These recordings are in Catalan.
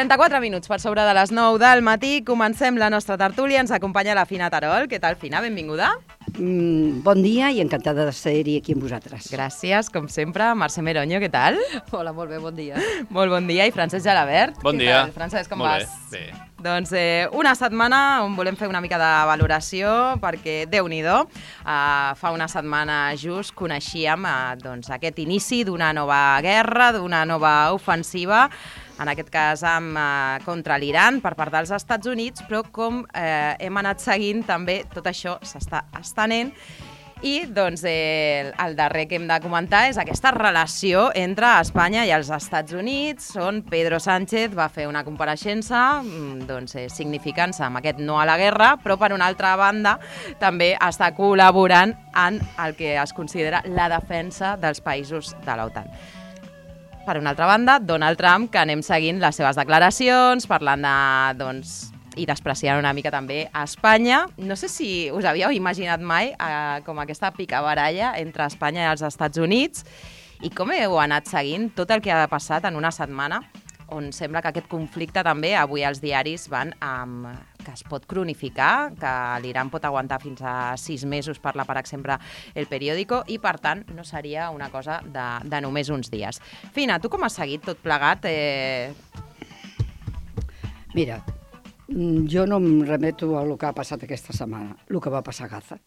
34 minuts per sobre de les 9 del matí. Comencem la nostra tertúlia. Ens acompanya la Fina Terol. Què tal, Fina? Benvinguda. Bon dia i encantada de ser-hi aquí amb vosaltres. Gràcies, com sempre. Mercè Meroño, què tal? Hola, molt bé, bon dia. Molt bon dia. I Francesc Gelabert. Bon dia. Què tal, Francesc, com molt vas? Bé. Doncs una setmana on volem fer una mica de valoració perquè, Déu-n'hi-do, fa una setmana just coneixíem aquest inici d'una nova guerra, d'una nova ofensiva, en aquest cas contra l'Iran per part dels Estats Units, però com hem anat seguint també tot això s'està estenent. I doncs, el darrer que hem de comentar és aquesta relació entre Espanya i els Estats Units, on Pedro Sánchez va fer una compareixença significant-se amb aquest no a la guerra, però per una altra banda també està col·laborant en el que es considera la defensa dels països de l'OTAN. Per una altra banda, Donald Trump, que anem seguint les seves declaracions, parlant de, i despreciant una mica també a Espanya. No sé si us havíeu imaginat mai com aquesta picabaralla entre Espanya i els Estats Units i com heu anat seguint tot el que ha passat en una setmana on sembla que aquest conflicte també avui els diaris van que es pot cronificar, que l'Iran pot aguantar fins a 6 mesos, parla per exemple El Periódico, i per tant no seria una cosa de només uns dies. Fina, tu com has seguit tot plegat? Mira, jo no em remeto a el que ha passat aquesta setmana, el que va passar a Gaza.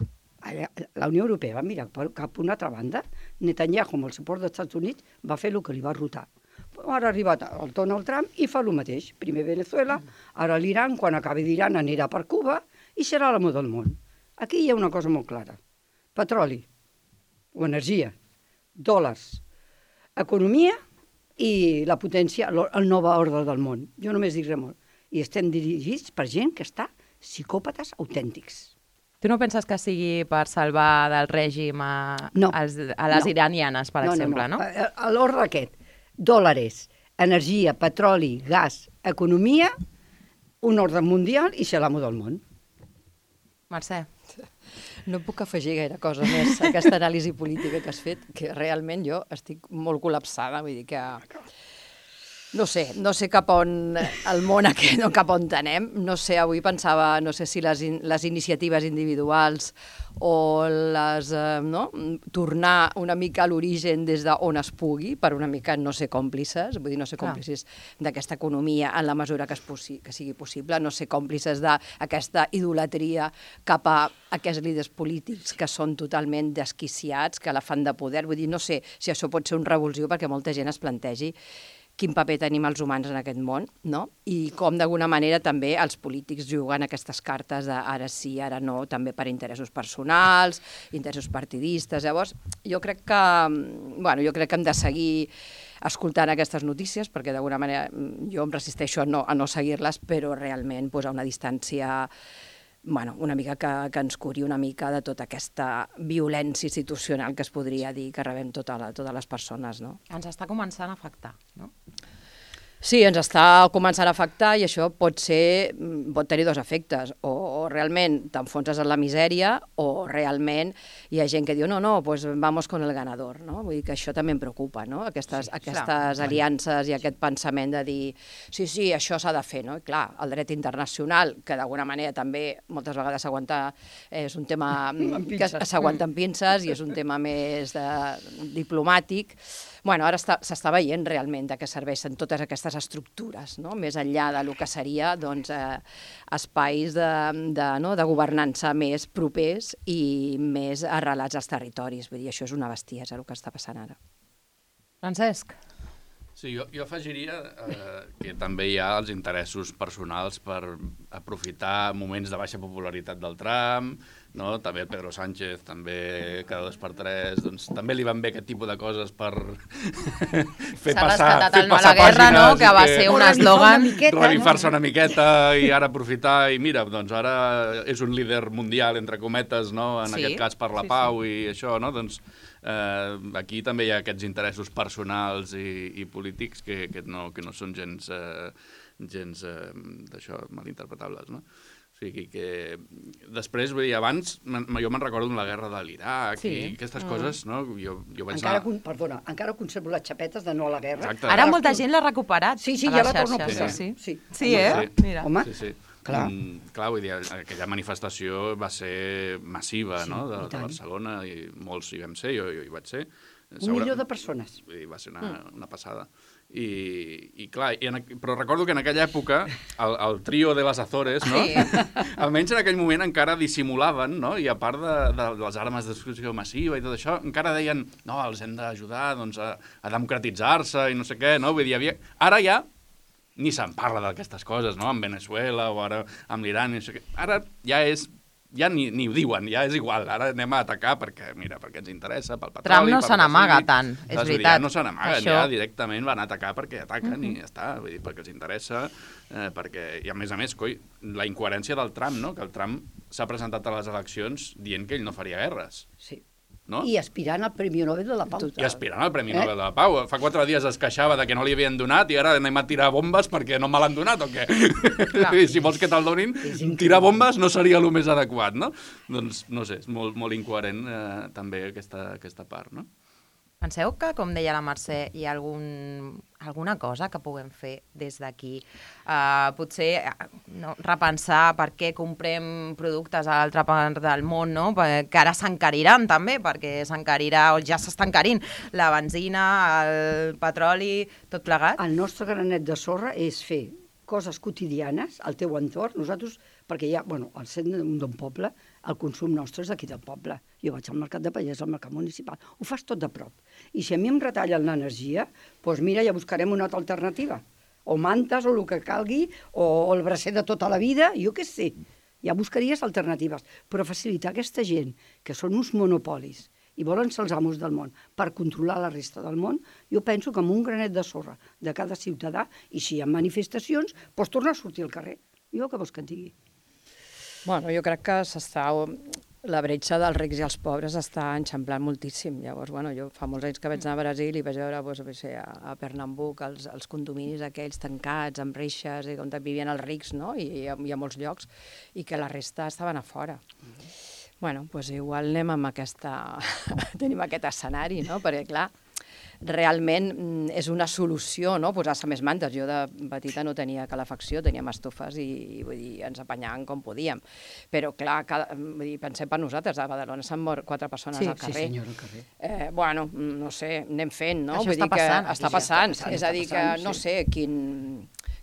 La Unió Europea va mirar cap a una altra banda, Netanyahu, amb el suport dels Estats Units, va fer el que li va rotar. Ara ha arribat el Donald Trump i fa el mateix. Primer Venezuela, ara l'Iran, quan acabi d'Iran anirà per Cuba i serà l'amo del món. Aquí hi ha una cosa molt clara. Petroli o energia, dòlars, economia i la potència, el nou ordre del món. Jo només dic molt. I estem dirigits per gent que està psicòpates autèntics. Tu no penses que sigui per salvar del règim a les iranianes, per exemple, no? L'ordre aquest, dòlars, energia, petroli, gas, economia, un ordre mundial i ser l'amo del món. Mercè. No puc afegir gaire cosa més a aquesta anàlisi política que has fet, que realment jo estic molt col·lapsada, vull dir que... No sé cap on el món aquest, cap on anem. No sé, avui pensava, no sé si les iniciatives individuals o tornar una mica a l'origen des d'on es pugui, per una mica no ser còmplices, vull dir, no ser còmplices d'aquesta economia en la mesura que sigui possible, no ser còmplices d'aquesta idolatria cap a aquests líders polítics que són totalment desquiciats, que la fan de poder. Vull dir, no sé si això pot ser un revulsiu perquè molta gent es plantegi quin paper tenim els humans en aquest món, no? I com d'alguna manera també els polítics juguen aquestes cartes de ara sí, ara no, també per interessos personals, interessos partidistes. Llavors, jo crec que hem de seguir escoltant aquestes notícies, perquè d'alguna manera jo em resisteixo a no seguir-les, però realment posar una distància una mica que ens curi una mica de tota aquesta violència institucional que es podria dir que rebem totes les persones, no? Ens està començant a afectar, no? Sí, ens està començant a afectar i això pot tenir dos efectes. O realment t'enfonses en la misèria o realment hi ha gent que diu no, pues vamos con el ganador, no? Vull dir que això també em preocupa, no? Aquestes aliances i aquest pensament de dir sí, això s'ha de fer, no? I clar, el dret internacional, que d'alguna manera també moltes vegades és un tema que s'aguanta amb pinces i és un tema més diplomàtic. Ara s'està veient realment de què serveixen totes aquestes estructures, no? Més enllà del que seria espais de governança més propers i més arrelats als territoris. Vull dir, això és una bestiesa el que està passant ara. Francesc? Sí, jo afegiria que també hi ha els interessos personals per aprofitar moments de baixa popularitat del Trump, no? També el Pedro Sánchez, també cada 2x3, doncs també li van bé aquest tipus de coses per fer passar guerra, no? Que va ser un eslògan. Revifar-se una miqueta i ara aprofitar, i mira, doncs ara és un líder mundial, entre cometes, no? En aquest cas per la pau i això, no? Doncs aquí també hi ha aquests interessos personals i polítics que no són gens d'això malinterpretables, no? O sigui que després, vull dir, abans jo me'n recordo de la guerra de l'Iraq i aquestes coses, no? Jo vaig anar... Perdona, encara conservo les xapetes de no a la guerra. Exacte. Ara molta gent l'ha recuperat. Sí, ja la torno a posar. Sí, eh? Mira. Home, clar, vull dir, aquella manifestació va ser massiva, no?, de Barcelona, i molts hi vam ser, jo hi vaig ser. 1 milió de persones. Va ser una passada. I clar, però recordo que en aquella època el trio de les Azores, no? Almenys en aquell moment encara dissimulaven, no? I a part de les armes de destrucció massiva i tot això, encara deien, no, els hem d'ajudar doncs, a democratitzar-se i no sé què, no? Vull dir, ara ja ni se'n parla d'aquestes coses, no? Amb Venezuela o ara amb l'Iran, no sé què. Ara ja ni ho diuen, ja és igual, ara anem a atacar perquè ens interessa, pel petroli... Trump no se n'amaga tant, és veritat. Ja no se n'amaguen, ja directament van atacar perquè ataquen i ja està, vull dir, perquè els interessa, i a més, coi, la incoherència del Trump, no?, que el Trump s'ha presentat a les eleccions dient que ell no faria guerres. Sí. No? I aspirant al Premi Nobel de la Pau. I aspirant al Premi Nobel de la Pau. Fa 4 dies es queixava de que no li havien donat i ara anem a tirar bombes perquè no me l'han donat o què? Si vols que te'l donin, tirar bombes no seria el més adequat, no? Doncs, no sé, és molt incoherent també aquesta part, no? Penseu que, com deia la Mercè, hi ha alguna cosa que puguem fer des d'aquí? Potser repensar per què comprem productes a l'altra part del món, no? Que ara s'encariran també, perquè s'encarirà, o ja s'està encarint, la benzina, el petroli, tot plegat. El nostre granet de sorra és fer coses quotidianes al teu entorn. Nosaltres, perquè ja, al centre d'un poble, el consum nostre és d'aquí del poble. Jo vaig al mercat de Pallers, al mercat municipal. Ho fas tot de prop. I si a mi em retallen l'energia, doncs mira, ja buscarem una altra alternativa. O mantes, o el que calgui, o el bracer de tota la vida, jo què sé. Ja buscaries alternatives. Però facilitar aquesta gent, que són uns monopolis, i volen ser els amos del món, per controlar la resta del món, jo penso que amb un granet de sorra de cada ciutadà, i si hi ha manifestacions, doncs torna a sortir al carrer. Jo què vols que en digui? Bueno, jo crec que la bretxa dels rics i els pobres està enxamplant moltíssim. Llavors, jo fa molts anys que vaig anar a Brasil i vaig veure a Pernambuc els condominis aquells tancats, amb reixes, on vivien els rics, no? I hi ha molts llocs, i que la resta estaven a fora. Doncs igual anem amb tenim aquest escenari, no? Perquè, clar, realment és una solució, no?, posar-se més mantes. Jo de petita no tenia calefacció, teníem estufes i vull dir, ens apanyàvem com podíem. Però, clar, pensem per nosaltres, a Badalona s'han mort 4 persones al carrer. Sí, senyor, al carrer. No sé, anem fent, no? Això està passant. Està passant. És a dir, que no sé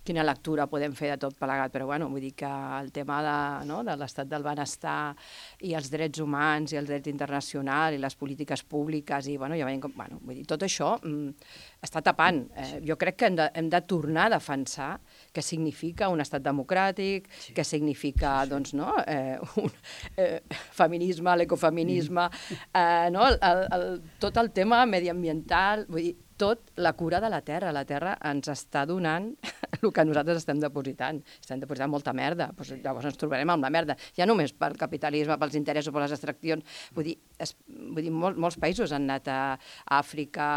quina lectura podem fer de tot plegat, però vull dir que el tema de l'estat del benestar i els drets humans i els drets internacionals i les polítiques públiques i ja veiem com... Vull dir, tot això està tapant. Jo crec que hem de tornar a defensar què significa un estat democràtic, què significa, doncs, no?, feminisme, l'ecofeminisme, tot el tema mediambiental, vull dir, tot la cura de la terra. La terra ens està donant el que nosaltres estem depositant. Estem depositant molta merda. Llavors ens trobarem amb la merda. Ja només pel capitalisme, pels interessos, per les extraccions. Vull dir, molts països han anat a Àfrica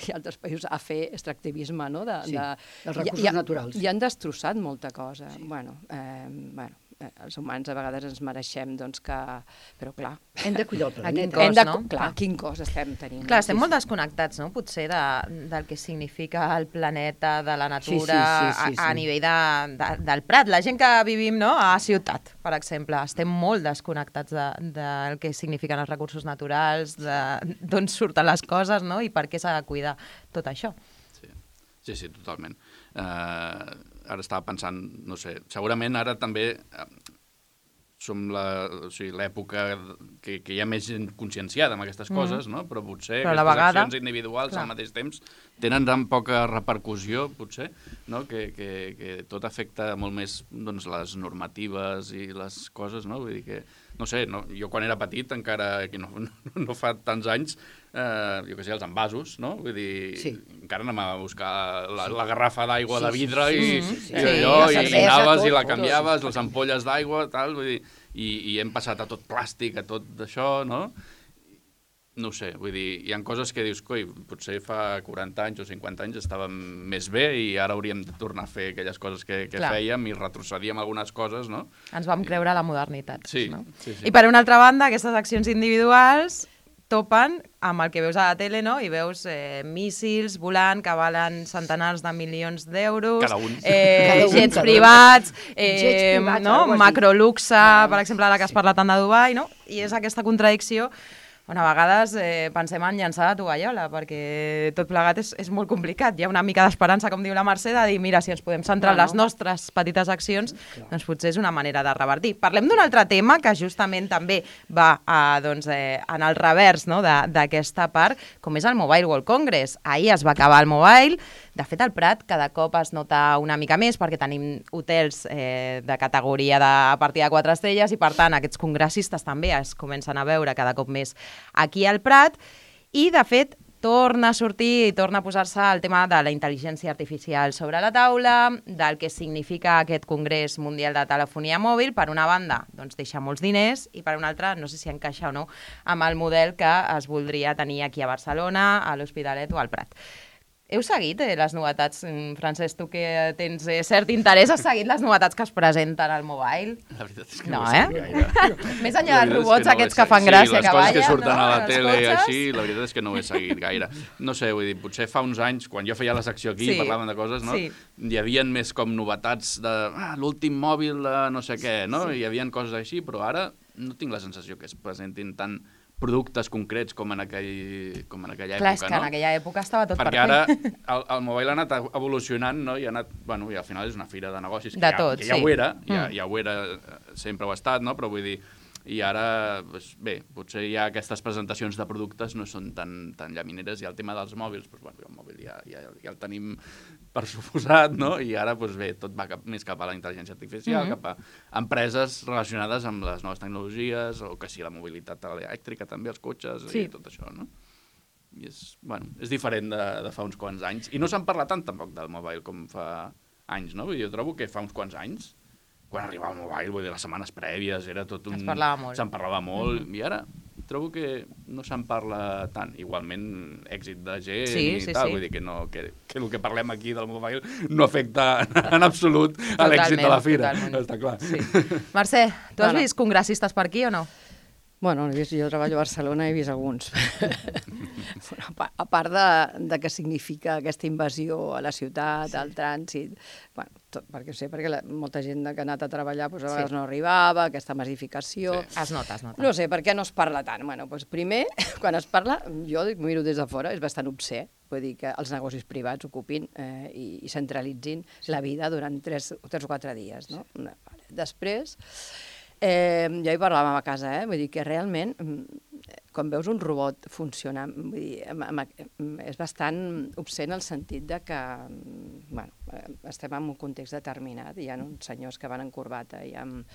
i altres països a fer extractivisme, no? Sí, els recursos naturals. I han destrossat molta cosa. Els humans a vegades ens mereixem, doncs, que... Però, clar... Hem de cuidar el planeta. Clar, quin cost estem tenint. Clar, estem molt desconnectats, no?, potser del que significa el planeta, de la natura, a nivell del Prat. La gent que vivim, no?, a ciutat, per exemple, estem molt desconnectats del que signifiquen els recursos naturals, d'on surten les coses, no?, i per què s'ha de cuidar tot això. Sí, totalment. Ara estava pensant, no sé, segurament ara també som l'època que hi ha més gent conscienciada amb aquestes coses, no? Però potser aquestes accions individuals al mateix temps tenen tan poca repercussió, potser, no? Que tot afecta molt més, doncs, les normatives i les coses, no? Vull dir que, no sé, jo quan era petit, encara que no fa tants anys, jo què sé, els envasos, no? Vull dir, encara anem a buscar la garrafa d'aigua de vidre i allò, i anaves i la canviaves, les ampolles d'aigua, tal, vull dir, i hem passat a tot plàstic, a tot això, no? no ho sé, vull dir, hi ha coses que dius, coi, potser fa 40 anys o 50 anys estàvem més bé i ara hauríem de tornar a fer aquelles coses que fèiem i retrocedíem algunes coses, no? Ens vam creure la modernitat. Sí, no? sí. I per una altra banda, aquestes accions individuals topen amb el que veus a la tele, no? I veus míssils volant que valen centenars de milions d'euros, Cada un. jets privats, no? macroluxe, per exemple, ara que has parlat tant de Dubai, no? I és aquesta contradicció. Bueno, a vegades pensem en llançar la tovallola, perquè tot plegat és molt complicat. Hi ha una mica d'esperança, com diu la Mercè, de dir, mira, si ens podem centrar en les nostres petites accions, doncs potser és una manera de revertir. Parlem d'un altre tema que justament també va en el revers, no?, d'aquesta part, com és el Mobile World Congress. Ahir es va acabar el Mobile. De fet, al Prat cada cop es nota una mica més perquè tenim hotels de categoria a partir de 4 estrelles i, per tant, aquests congressistes també es comencen a veure cada cop més aquí al Prat i, de fet, torna a sortir i torna a posar-se el tema de la intel·ligència artificial sobre la taula, del que significa aquest Congrés Mundial de Telefonia Mòbil. Per una banda, doncs deixa molts diners i per una altra, no sé si encaixa o no, amb el model que es voldria tenir aquí a Barcelona, a l'Hospitalet o al Prat. Heu seguit les novetats, Francesc, tu que tens cert interès, has seguit les novetats que es presenten al Mobile? La veritat és que no no ho sé gaire. Més enllà dels robots aquests que fan gràcia, que ballen, les coses que surten a la els tele i cotxes. així, la veritat és que no ho he seguit gaire. No sé, vull dir, potser fa uns anys, quan jo feia la secció aquí, parlàvem de coses, no? Hi havia més com novetats de l'últim mòbil de no sé què, no? Hi havia coses així, però ara no tinc la sensació que es presentin tant productes concrets com en aquella època, Clar, és que en aquella època estava tot perquè ara el mobile ha anat evolucionant, no? I ha anat, bueno, i al final és una fira de negocis que ja ho era, ja ho era, sempre ho ha estat, no? Però vull dir, i ara, doncs, bé, potser ja aquestes presentacions de productes no són tan llamineres, i el tema dels mòbils, doncs, bueno, el mòbil ja el tenim per suposat, no? I ara, doncs bé, tot va més cap a la intel·ligència artificial, cap a empreses relacionades amb les noves tecnologies, o que sí, la mobilitat elèctrica també, els cotxes i tot això, no? I és diferent de fa uns quants anys. I no se'n parla tant tampoc del mobile com fa anys, no? Vull dir, jo trobo que fa uns quants anys, quan arribava el mobile, vull dir, les setmanes prèvies, era tot un... Se'n parlava molt. I ara trobo que no se'n parla tant. Igualment, èxit de gent i tal. Vull dir que el que parlem aquí del mobile no afecta en absolut a l'èxit de la fira. Està clar. Mercè, tu has vist congressistes per aquí o no? Bueno, jo treballo a Barcelona i he vist alguns. A part de què significa aquesta invasió a la ciutat, al trànsit, bueno, perquè sé, perquè molta gent que ha anat a treballar doncs a vegades no arribava, aquesta massificació... Es nota. No sé, per què no es parla tant? Bueno, doncs primer, quan es parla, jo miro des de fora, és bastant obscè, vull dir que els negocis privats ocupin i centralitzin la vida durant 3 o 4 dies, no? Després... jo hi parlàvem a casa, vull dir que realment, quan veus un robot funcionar, vull dir, és bastant obscè en el sentit de que, bueno, estem en un context determinat, hi ha uns senyors que van en corbata i amb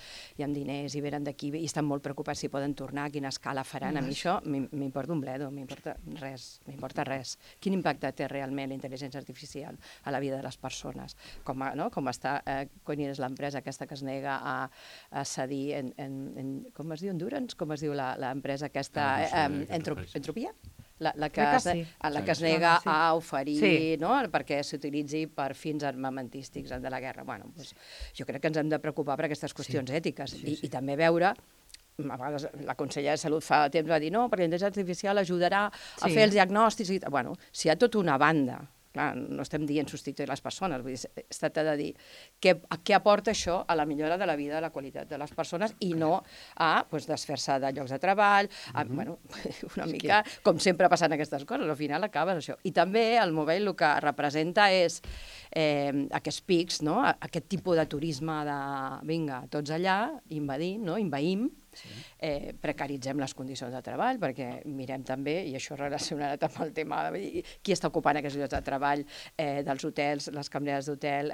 diners i venen d'aquí i estan molt preocupats si poden tornar, a quina escala faran. A mi això m'importa un bledo, m'importa res. Quin impacte té realment la intel·ligència artificial a la vida de les persones? Com està, quan és l'empresa aquesta que es nega a cedir com es diu, Endurance? Com es diu l'empresa aquesta? Entropia? La que es nega a oferir perquè s'utilitzi per fins armamentístics de la guerra. Bueno, jo crec que ens hem de preocupar per aquestes qüestions ètiques i també veure... A vegades la consellera de Salut fa temps va dir no, perquè la intel·ligència artificial ajudarà a fer els diagnòstics. Bueno, si hi ha tota una banda... Clar, no estem dient substituir les persones, vull dir, es tracta de dir què aporta això a la millora de la vida, de la qualitat de les persones i no a desfer-se de llocs de treball, bueno, una mica com sempre passen aquestes coses, al final acabes això. I també el mobile el que representa és aquests pics, aquest tipus de turisme de vinga, tots allà, invaïm, precaritzem les condicions de treball, perquè mirem també, i això relacionat amb el tema de qui està ocupant aquests llocs de treball dels hotels, les cambreres d'hotel,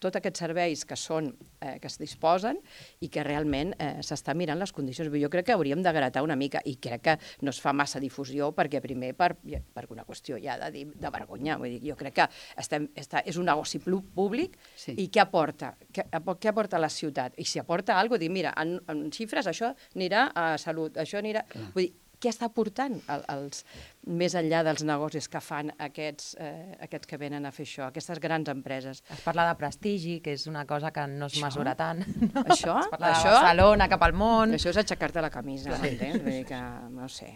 tots aquests serveis que es disposen i que realment s'està mirant les condicions. Jo crec que hauríem de gratar una mica i crec que no es fa massa difusió perquè primer per una qüestió ja de vergonya. Vull dir, jo crec que és un negoci públic i què aporta? Què aporta a la ciutat? I si aporta alguna cosa, dir, mira, en xifres això anirà a salut, això anirà... Vull dir, què està portant més enllà dels negocis que fan aquests que venen a fer això, aquestes grans empreses. Es parla de prestigi, que és una cosa que no es mesura tant. No? Això? Es parla de Barcelona, cap al món... Això és aixecar-te la camisa, m'entens? Vull dir que, no sé,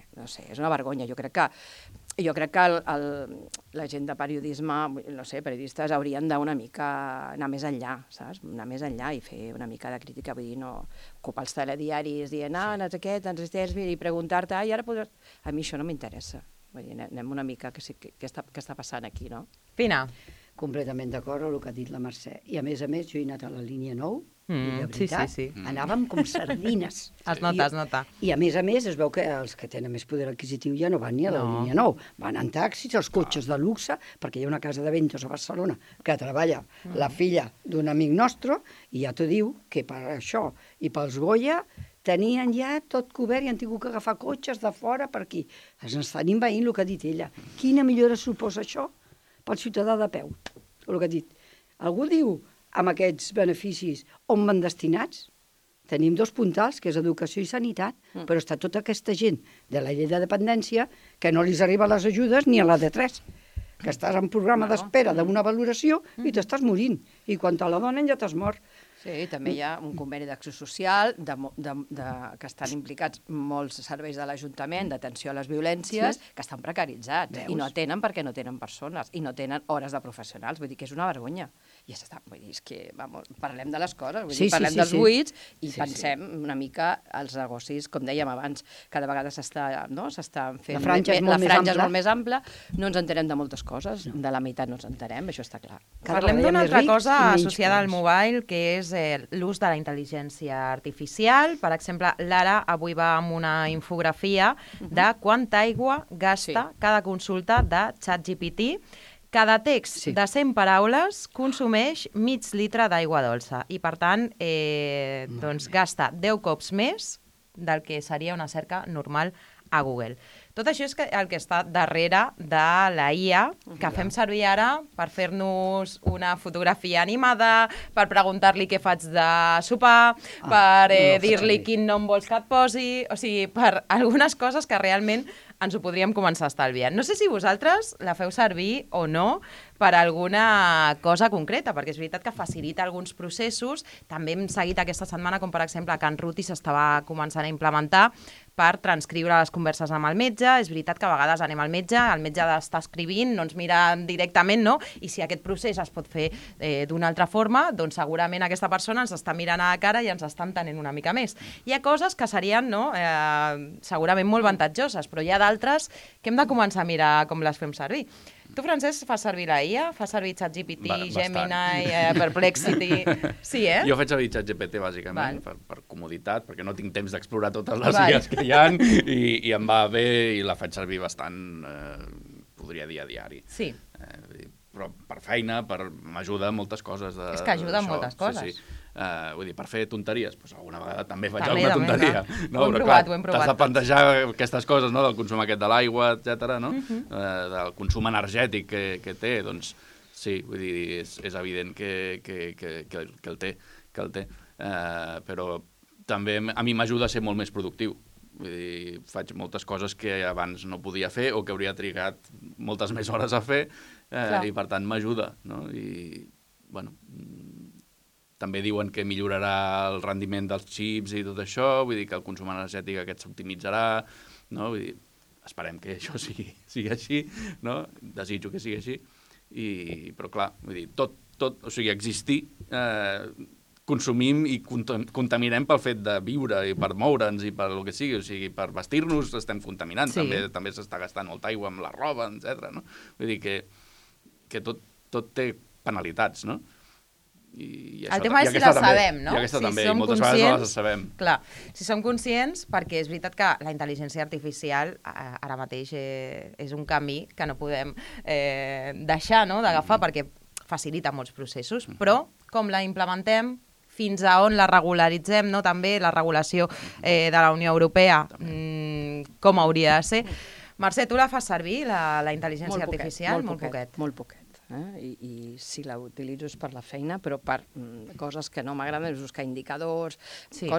és una vergonya. Jo crec que la gent de periodisme, no sé, periodistes haurien d'una mica anar més enllà, saps? Anar més enllà i fer una mica de crítica, vull dir, no ocupar els telediaris dient, no sé què, i preguntar-te, i ara podràs... A mi això no m'interessa. Vull dir, anem una mica què està passant aquí, no? Pina. Completament d'acord amb el que ha dit la Mercè. I a més, jo he anat a la línia 9, i de sí, veritat, sí. anàvem com sardines. Es nota. I a més, es veu que els que tenen més poder adquisitiu ja no van ni a la línia 9. Van en taxis, els cotxes de luxe, perquè hi ha una casa de ventos a Barcelona que treballa la filla d'un amic nostre, i ja t'ho diu que per això i pels Goya tenien ja tot cobert i han tingut que agafar cotxes de fora per aquí. Es estan envaint el que ha dit ella. Quina millora suposa això pel ciutadà de peu? El que ha dit. Algú diu, amb aquests beneficis, on van destinats? Tenim dos puntals, que és educació i sanitat, però està tota aquesta gent de la llei de dependència que no li arriben les ajudes ni a la D3, que estàs en programa d'espera d'una valoració i t'estàs morint. I quan te la donen ja t'has mort. Sí, també hi ha un conveni d'acció social que estan implicats molts serveis de l'Ajuntament d'atenció a les violències que estan precaritzats. Veus? I no atenen perquè no tenen persones i no tenen hores de professionals. Vull dir que és una vergonya. I vull dir, és que, parlem de les coses, parlem dels buits i pensem una mica als negocis, com dèiem abans, cada vegada s'està fent... La franja és molt més ampla. No ens entenem de moltes coses, de la meitat no ens entenem, això està clar. Parlem d'una altra cosa associada al mobile, que és l'ús de la intel·ligència artificial. Per exemple, l'Ara avui va amb una infografia de quanta aigua gasta cada consulta de ChatGPT. Cada text de 100 paraules consumeix mig litre d'aigua dolça i, per tant, gasta 10 cops més del que seria una cerca normal a Google. Tot això és el que està darrere de la IA, que fem servir ara per fer-nos una fotografia animada, per preguntar-li què faig de sopar, per dir-li quin nom vols que et posi, o sigui, per algunes coses que realment ens ho podríem començar a estalviar. No sé si vosaltres la feu servir o no per alguna cosa concreta, perquè és veritat que facilita alguns processos. També hem seguit aquesta setmana, com per exemple, que en Ruti s'estava començant a implementar per transcriure les converses amb el metge. És veritat que a vegades anem al metge està escrivint, no ens mira directament, no? I si aquest procés es pot fer d'una altra forma, doncs segurament aquesta persona ens està mirant a la cara i ens està entenent una mica més. Hi ha coses que serien segurament molt avantatjoses, però hi ha d'altres que hem de començar a mirar com les fem servir. Tu, Francesc, fas servir la IA? Fas servir ChatGPT, Gemini, Perplexity? Sí, Jo faig servir ChatGPT, bàsicament, per comoditat, perquè no tinc temps d'explorar totes les IAs que hi ha i em va bé i la faig servir bastant, podria dir, a diari. Sí. Però per feina, m'ajuda a moltes coses. És que ajuda a moltes coses. Sí. Vull dir, per fer tonteries, doncs alguna vegada també faig alguna tonteria. Ho hem provat. T'has de plantejar aquestes coses, del consum aquest de l'aigua, etc., del consum energètic que té, doncs sí, vull dir, és evident que el té. Però també a mi m'ajuda a ser molt més productiu. Vull dir, faig moltes coses que abans no podia fer o que hauria trigat moltes més hores a fer i per tant m'ajuda, no? I, bueno, també diuen que millorarà el rendiment dels xips i tot això, vull dir que el consum energètic aquest s'optimitzarà, no? Vull dir, esperem que això sigui així, no? Desitjo que sigui així, però clar, vull dir, tot, o sigui, existir, consumim i contaminem pel fet de viure i per moure'ns i per el que sigui, o sigui, per vestir-nos estem contaminant, també s'està gastant molta aigua amb la roba, etc. No? Vull dir que tot té penalitats, no? El tema és si les sabem, no? I aquesta també, i moltes vegades no les sabem. Clar, si som conscients, perquè és veritat que la intel·ligència artificial ara mateix és un camí que no podem deixar d'agafar perquè facilita molts processos, però com la implementem, fins a on la regularitzem, també la regulació de la Unió Europea, com hauria de ser. Mercè, tu la fas servir, la intel·ligència artificial? Molt poquet. I si la utilitzo és per la feina, però per coses que no m'agraden, és buscar indicadors,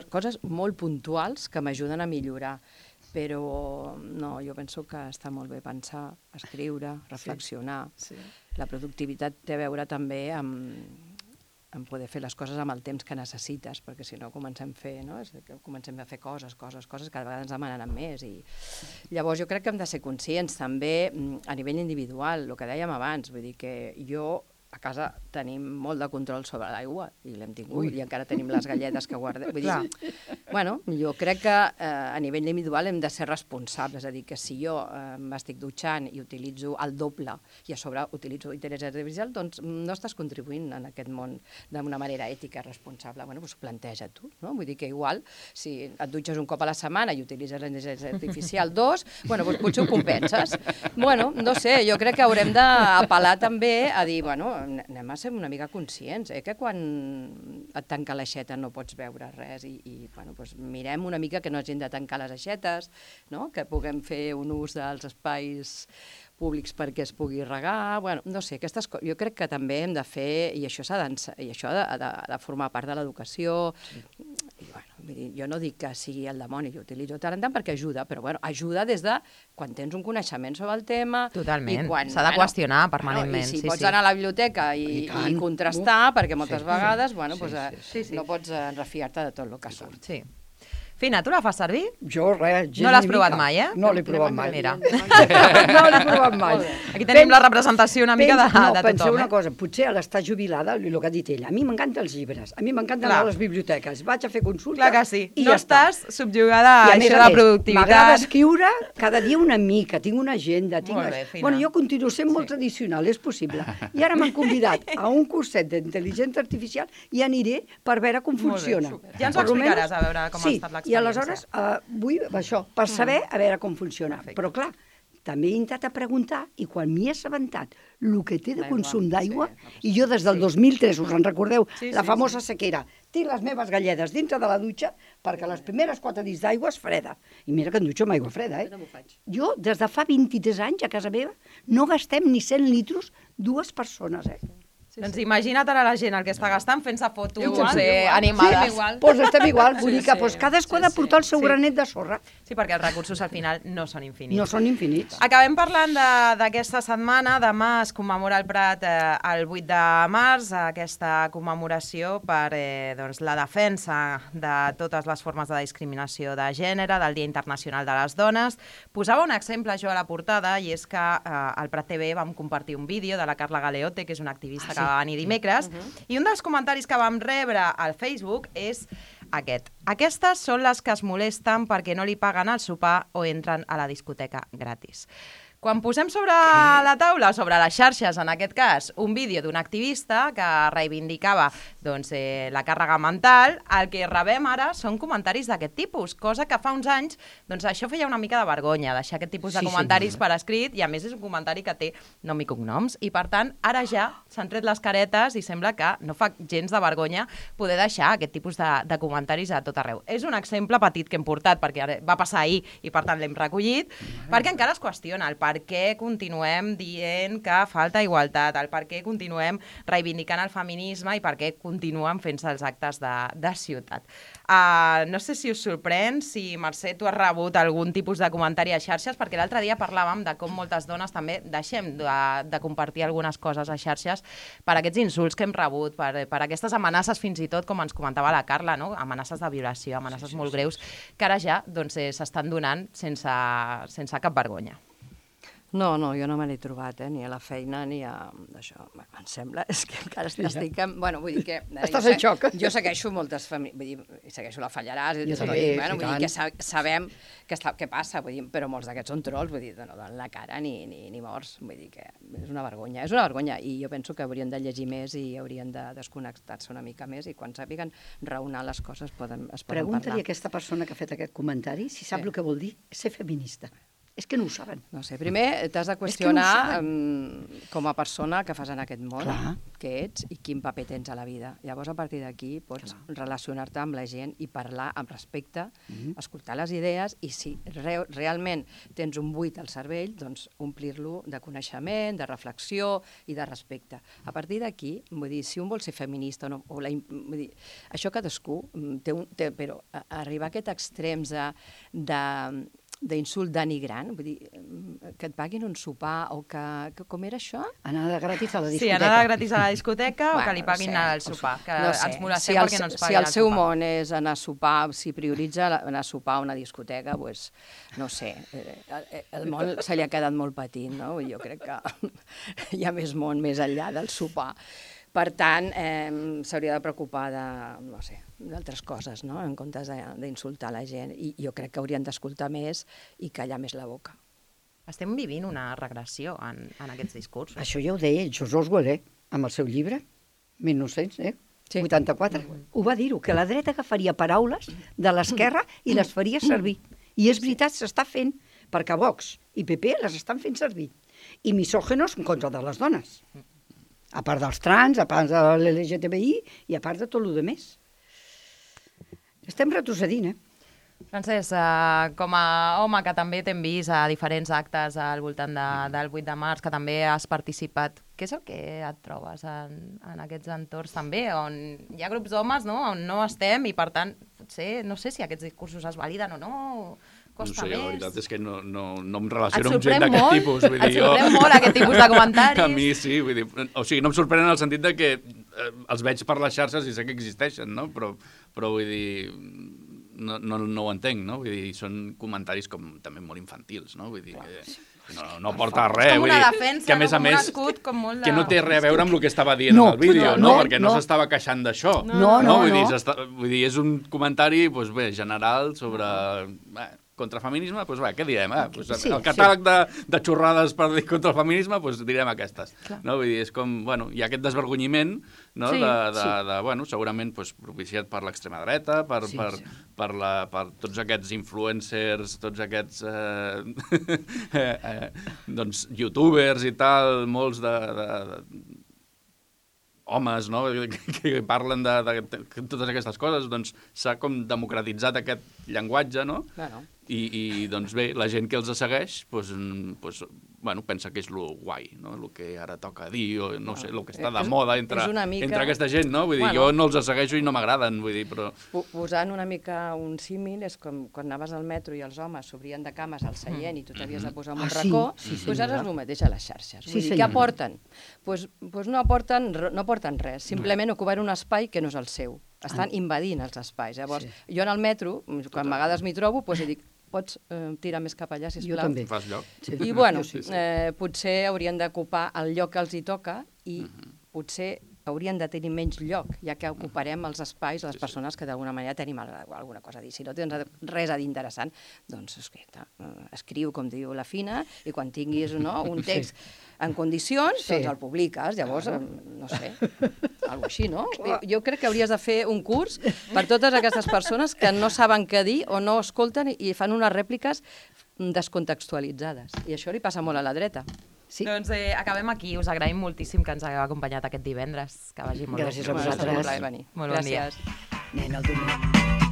coses molt puntuals que m'ajuden a millorar. però no, jo penso que està molt bé pensar, escriure, reflexionar. Sí. La productivitat té a veure també en poder fer les coses amb el temps que necessites, perquè si no comencem a fer coses, cada vegada ens demanen més. I llavors jo crec que hem de ser conscients també a nivell individual, el que dèiem abans, vull dir que jo a casa tenim molt de control sobre l'aigua, i l'hem tingut, i encara tenim les galletes que guardem. Vull dir, bueno, jo crec que a nivell individual hem de ser responsables, és a dir, que si jo m'estic dutxant i utilitzo el doble i a sobre utilitzo intel·ligència artificial, doncs no estàs contribuint en aquest món d'una manera ètica responsable. Bueno, doncs planteja tu, no? Vull dir que igual, si et dutxes un cop a la setmana i utilitzes l'intel·ligència artificial 2, bueno, doncs potser ho compenses. Bueno, no sé, jo crec que haurem d'apel·lar també a dir, bueno, anem a ser una mica conscients, que quan et tanca l'aixeta no pots veure res i bueno, doncs mirem una mica que no hagin de tancar les aixetes, no? Que puguem fer un ús dels espais públics perquè es pugui regar, bueno, no sé, aquestes coses jo crec que també hem de fer, i això ha de formar part de l'educació, i bueno, vull dir, jo no dic que sigui el dimoni, jo utilitzo tant en tant perquè ajuda, però bueno, ajuda des de quan tens un coneixement sobre el tema. Totalment, s'ha de qüestionar permanentment. I si pots anar a la biblioteca i contrastar, perquè moltes vegades no pots refiar-te de tot el que surt. Sí. Fina, tu la fas servir? Jo, res, gens no l'has provat mai, eh? No l'he provat mai. Mira. No l'he provat mai. Aquí tenim la representació una mica de tothom. Penseu una cosa, potser a l'estar jubilada, el que ha dit ella, a mi m'encanten els llibres, a mi m'encanten anar a les biblioteques, vaig a fer consulta. Clar que sí, no estàs subjugada a això de la productivitat. M'agrada escriure cada dia una mica, tinc una agenda. Molt bé, Fina. Bueno, jo continuo sent molt tradicional, és possible. I ara m'han convidat a un curset d'intel·ligència artificial i aniré per veure com funciona. Ja ens ho explicaràs, a veure com ha estat l'experiència. I aleshores vull això, per saber a veure com funciona. Però clar, també he intentat preguntar i quan m'hi he assabentat el que té de consum d'aigua, i jo des del 2003, us en recordeu, la famosa sequera, tinc les meves galledes dintre de la dutxa perquè les primeres 4 dits d'aigua és freda. I mira que em dutxo amb aigua freda, Jo, des de fa 23 anys, a casa meva, no gastem ni 100 litros 2 persones, Doncs imagina't ara la gent el que està gastant fent-se fotos animades. Doncs estem igual, vull dir que cadascú ha de portar el seu granet de sorra. Sí, perquè els recursos al final no són infinits. No són infinits. Acabem parlant d'aquesta setmana. Demà es commemora al Prat el 8 de març, aquesta commemoració per la defensa de totes les formes de discriminació de gènere, del Dia Internacional de les Dones. Posava un exemple jo a la portada, i és que al Prat TV vam compartir un vídeo de la Carla Galeote, que és una activista que va venir dimecres, i un dels comentaris que vam rebre al Facebook és aquest. Aquestes són les que es molesten perquè no li paguen el sopar o entren a la discoteca gratis. Quan posem sobre la taula, sobre les xarxes, en aquest cas, un vídeo d'un activista que reivindicava la càrrega mental, el que rebem ara són comentaris d'aquest tipus, cosa que fa uns anys això feia una mica de vergonya, deixar aquest tipus de comentaris per escrit, i a més és un comentari que té nom i cognoms, i per tant ara ja s'han tret les caretes i sembla que no fa gens de vergonya poder deixar aquest tipus de comentaris a tot arreu. És un exemple petit que hem portat perquè va passar ahir i per tant l'hem recollit, perquè encara es qüestiona el per què continuem dient que falta igualtat, el per què continuem reivindicant el feminisme i per què continuen fent-se els actes de ciutat. No sé si us sorprèn, si Mercè, tu has rebut algun tipus de comentari a xarxes, perquè l'altre dia parlàvem de com moltes dones també deixem de compartir algunes coses a xarxes per aquests insults que hem rebut, per aquestes amenaces fins i tot, com ens comentava la Carla, no? Amenaces de violació, amenaces molt greus, que ara ja s'estan donant sense cap vergonya. No, jo no me l'he trobat, ni a la feina ni a això. Em sembla, és que encara estic... Bueno, vull dir que... Estàs en xoc. Jo segueixo moltes famílies, vull dir, segueixo la Fallaràs, vull dir que sabem què passa, vull dir, però molts d'aquests són trolls, vull dir, no donen la cara ni morts, vull dir que és una vergonya, i jo penso que haurien de llegir més i haurien de desconnectar-se una mica més, i quan sàpiguen raonar les coses es poden parlar. Pregunta-li a aquesta persona que ha fet aquest comentari si sap el que vol dir ser feminista. És que no ho saben. No sé, primer t'has de qüestionar com a persona que fas en aquest món, què ets i quin paper tens a la vida. Llavors, a partir d'aquí, pots relacionar-te amb la gent i parlar amb respecte, escoltar les idees, i si realment tens un buit al cervell, doncs omplir-lo de coneixement, de reflexió i de respecte. A partir d'aquí, vull dir, si un vol ser feminista o no, vull dir, això cadascú té, però arribar a aquests extrems de d'insult denigrant, vull dir, que et paguin un sopar o que com era això? Anar gratis a la discoteca. Sí, anar gratis a la discoteca o que li paguin el sopar, que ens molestem perquè no ens paguin el sopar. Si el seu món és anar a sopar, si prioritza anar a sopar a una discoteca, doncs, no sé, el món se li ha quedat molt petit, no? Jo crec que hi ha més món més enllà del sopar. Per tant, s'hauria de preocupar d'altres coses, no? En comptes d'insultar la gent. I jo crec que haurien d'escoltar més i callar més la boca. Estem vivint una regressió en aquests discursos. Això ja ho deia George Orwell, amb el seu llibre, 1984. Ho va dir-ho, que la dreta agafaria paraules de l'esquerra i les faria servir. I és veritat, s'està fent, perquè Vox i PP les estan fent servir. I misògenos en contra de les dones. A part dels trans, a part de l'LGTBI i a part de tot el que més. Estem retrocedint, Francesc, com a home que també t'hem vist a diferents actes al voltant del 8 de març, que també has participat, què és el que et trobes en aquests entorns també, on hi ha grups d'homes, no?, on no estem i, per tant, potser no sé si aquests discursos es validen o no, costa més. No sé, la veritat és que no em relaciono amb gent d'aquest tipus. Et sorprèn molt aquest tipus de comentaris? A mi sí, vull dir, o sigui, no em sorprèn en el sentit de que els veig per les xarxes i sé que existeixen, no? Però vull dir, no ho entenc, no? Vull dir, són comentaris com també molt infantils, no? Vull dir que no porta res. Com una defensa, com un escut, com molt de... Que no té res a veure amb el que estava dient en el vídeo, no? Perquè no s'estava queixant d'això. No. Vull dir, és un comentari, doncs bé, general sobre... Contra el feminisme, doncs què direm? El catàleg de xorrades per dir contra el feminisme, doncs direm aquestes. No? Vull dir, és com, bueno, hi ha aquest desvergonyiment, no? Bueno, segurament propiciat per l'extrema dreta, per tots aquests influencers, tots aquests doncs, youtubers i tal, molts de homes, no?, que parlen de totes aquestes coses, doncs s'ha com democratitzat aquest llenguatge, no? Bueno. I doncs bé, la gent que els segueix bueno, pensa que és lo guai, no? El que ara toca dir, o no sé, el que està de moda entre aquesta gent, no? Vull dir, jo no els segueixo i no m'agraden, vull dir, però... Posant una mica un símil, és com quan anaves al metro i els homes s'obrien de cames al seient i tu t'havies de posar en un racó, doncs ara és el mateix a les xarxes. Vull dir, què aporten? Doncs no aporten res, simplement ocupen un espai que no és el seu. Estan invadint els espais. Llavors, jo en el metro, quan a vegades m'hi trobo, doncs dic, pots tirar més cap allà, sisplau? Jo també. Fas lloc. I, bueno, potser haurien d'ocupar el lloc que els hi toca i potser haurien de tenir menys lloc, ja que ocuparem els espais les persones que d'alguna manera tenim alguna cosa a dir. Si no tens res a dir interessant, doncs escriu, com diu la Fina, i quan tinguis un text en condicions, doncs el publiques. Llavors, no sé, alguna així, no? Jo crec que hauries de fer un curs per totes aquestes persones que no saben què dir o no escolten i fan unes rèpliques descontextualitzades. I això li passa molt a la dreta. Sí. Doncs acabem aquí. Us agraïm moltíssim que ens hagueu acompanyat aquest divendres. Que vagi molt bé. Gràcies a vosaltres. Molt bon dia. Nen, el domingo.